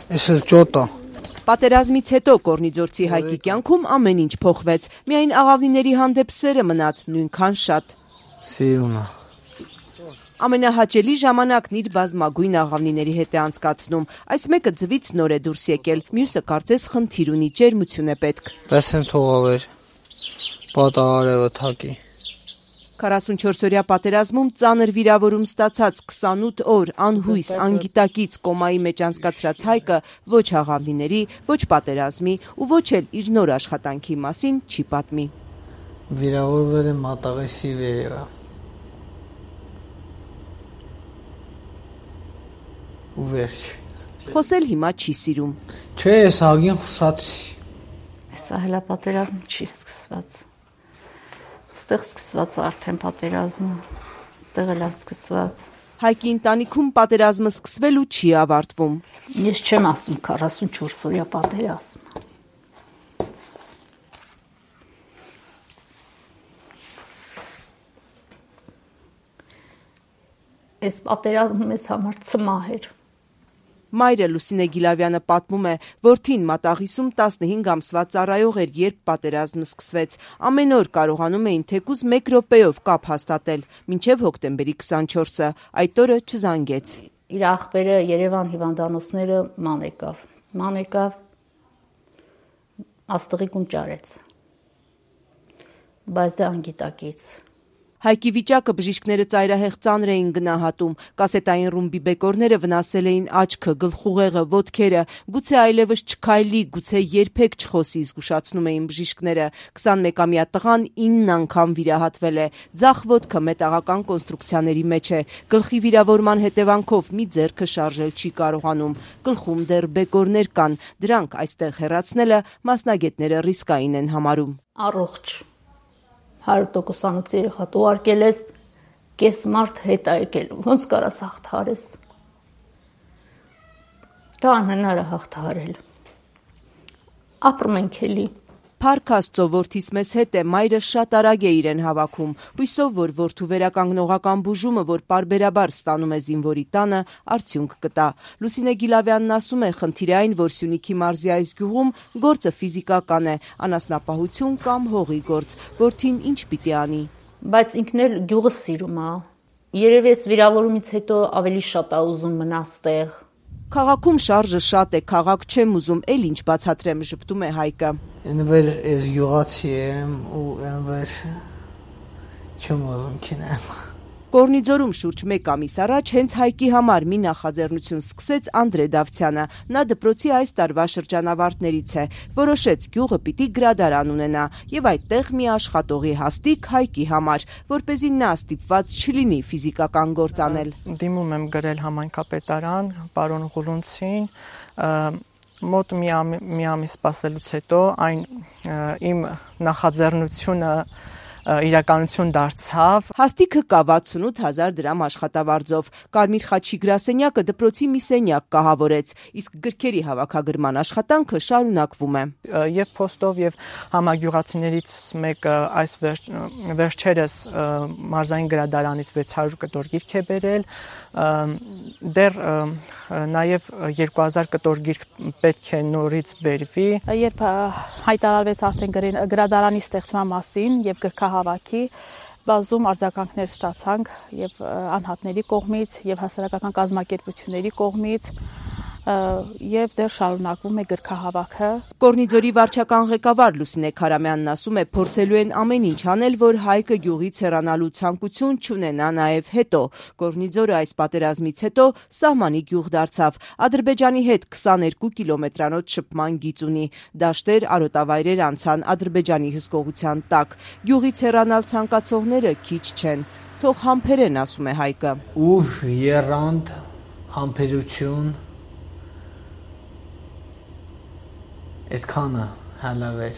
Էս էլ ճոտ է։ Պատերազմից հետո Կորնիձորցի Հայկի կյանքում ամեն ինչ փոխվեց, միայն աղավնիների հանդեպ սերը մնաց նույնքան շատ։ Սիրունը։ Ամենահաճելի ժամանակն իր բազմագույն աղավնիների հետ է անցկացնում, այս մեկը ձվից նոր է դուրս եկել, մյուսը կարծես խնդիր ունի, ջերմություն է պետք։ Տեսեն թողավեր, պատահարևը թակի։ 44-օրյա պատերազմում ծանր վիրավորում ստացած 28 օր անհույս, անգիտակից կոմայի մեջ անցկացրած Հայկը ոչ աղավնիների, ոչ պատերազմի ու ոչ էլ իր նոր աշխատանքի մասին չի պատմի։ Վիրավորվել եմ մատաղեսի վերևը։ Ու վերջ։ Խոսել հիմա չի սիրում։ Չէ, ես ագին խուսացի։ Սա հելա պատերազմ չի սկսված։ Ստեղ սկսված արդեն պատերազմը, ստեղ էլ սկսված։ Հայկի ընտանիքում պատերազմը սկսվել ու չի ավարտվում։ Ես չեմ ասում 44 օրյա պատերազմ։ Այս պատերազմը մեզ համար ցմահ էր։ Մայրը Լուսինե Գիլավյանը պատմում է, որդին մատաղիսում 15 ամսվա ծառայող էր, երբ պատերազմը սկսվեց։ Ամեն օր կարողանում էին թեկուզ 1 րոպեով կապ հաստատել, մինչև հոկտեմբերի 24-ը, այդ օրը չզանգեց։ Իր ախպերը Երևան հիվանդանոցները ման եկավ, աստղի կուն ճարեց, բայց դա անգիտակից։ Հայկի վիճակը բժիշկները ծայրահեղ ծանր էին գնահատում, կասետային ռումբի բեկորները վնասել էին աչքը, գլխուղեղը, ոտքերը, գուցե այլևս չքայլի, գուցե երբեք չխոսի, զգուշացնում էին բժիշկները։ 21-ամյա տղան 9 անգամ վիրահատվել է, ձախ ոտքը մետաղական կոնստրուկցիաների մեջ է, գլխի վիրավորման հետևանքով մի ձեռքը շարժել չի կարողանում, գլխում դեռ բեկորներ կան, դրանք այստեղ հեռացնելը մասնագետները ռիսկային են համարում։ Առողջ 100%-անոց երեխա ուղարկել ես, կես մարդ հետ է եկել, ոնց կարաս հաղթահարես։ Դա անհնար է հաղթահարել։ Ապրում ենք էլի։ Փառք Աստծո, որդիս մեզ հետ է, մայրը շատ արագ է իրեն հավաքում, հույսով, որ որդու վերականգնողական բուժումը, որ պարբերաբար ստանում է զինվորի տանը, արդյունք կտա։ Լուսինե Գիլավյանն ասում է, խնդիրը այն, որ Սյունիքի մարզի այս գյուղում գործը ֆիզիկական է, անասնապահություն կամ հողի գործ, որդին ինչ պիտի անի։ Բայց ինքն էլ գյուղը սիրում է։ Երևի ես վիրավորումից հետո ավելի շատ է ուզում մնալ ստեղ։ Քաղաքում շարժը շատ է, քաղաք չեմ ուզում, էլ ինչ բացատրեմ, ժպտում է Հայկը։ Ինվեր ես գյուղացի եմ ու ինվեր չեմ ուզում քինեմ։ Կորնիձորում շուրջ 1 ամիս առաջ հենց Հայկի համար մի նախաձեռնություն սկսեց Անդրե Դավթյանը։ Նա դպրոցի այս տարվա շրջանավարտներից է, որոշեց գյուղը պիտի գրադարան ունենա եւ այդտեղ մի աշխատողի հաստիք Հայկի համար, որպեսզի նա ստիպված չլինի ֆիզիկական գործ անել։ Դիմում եմ գրել համայնքապետարան, պարոն Ղուլունցին, մոտ մի ամիս սպասելուց հետո այն իմ նախաձեռնությունը իրականություն դարձավ։ Հաստիքը կա 68,000 դրամ աշխատավարձով։ Կարմիր խաչի գրասենյակը դպրոցի մի սենյակ կահավորեց, իսկ գրքերի հավաքագրման աշխատանքը շարունակվում է։ Եվ փոստով եւ համագյուղացիներից մեկը այս վերջերս մարզային գրադարանից 600 կտոր գիրք է բերել, դեռ նաեւ 2000 կտոր գիրք պետք է նորից բերվի։ Երբ հայտարարվեց արդեն գրադարանի ստեղծման մասին եւ գրքահավաքի, բազում արձագանքներ ստացանք եւ անհատների կողմից եւ հասարակական կազմակերպությունների կողմից եւ դեռ շարունակվում է գրքահավաքը։ Կորնիձորի վարչական ղեկավար Լուսինե Քարամյանն ասում է, փորձելու են ամեն ինչ անել, որ Հայկը գյուղից հեռանալու ցանկություն չունենա նաեւ հետո։ Կորնիձորը այս պատերազմից հետո սահմանի գյուղ դարձավ։ Ադրբեջանի հետ 22 կիլոմետրանոց շփման գիծ ունի։ Դաշտեր, արոտավայրեր անցան Ադրբեջանի հսկողության տակ։ Գյուղից հեռանալ ցանկացողները քիչ չեն։ Թող համբերեն, ասում է Հայկը։ Ուժ, եռանդ, համբերություն Այդքանը հալավեր։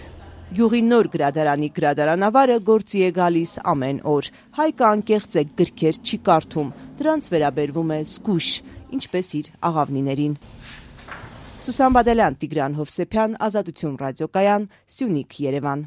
Գյուղի նոր գրադարանի գրադարանավարը գործի է գալիս ամեն օր։ Հայկը անկեղծ է, գրքեր չի կարդում, դրանց վերաբերվում է զգույշ, ինչպես իր աղավնիներին։ Սուսան Բադալյան, Տիգրան Հովսեփյան, Ազատություն ռադիոկայան, Սյունիք, Երևան։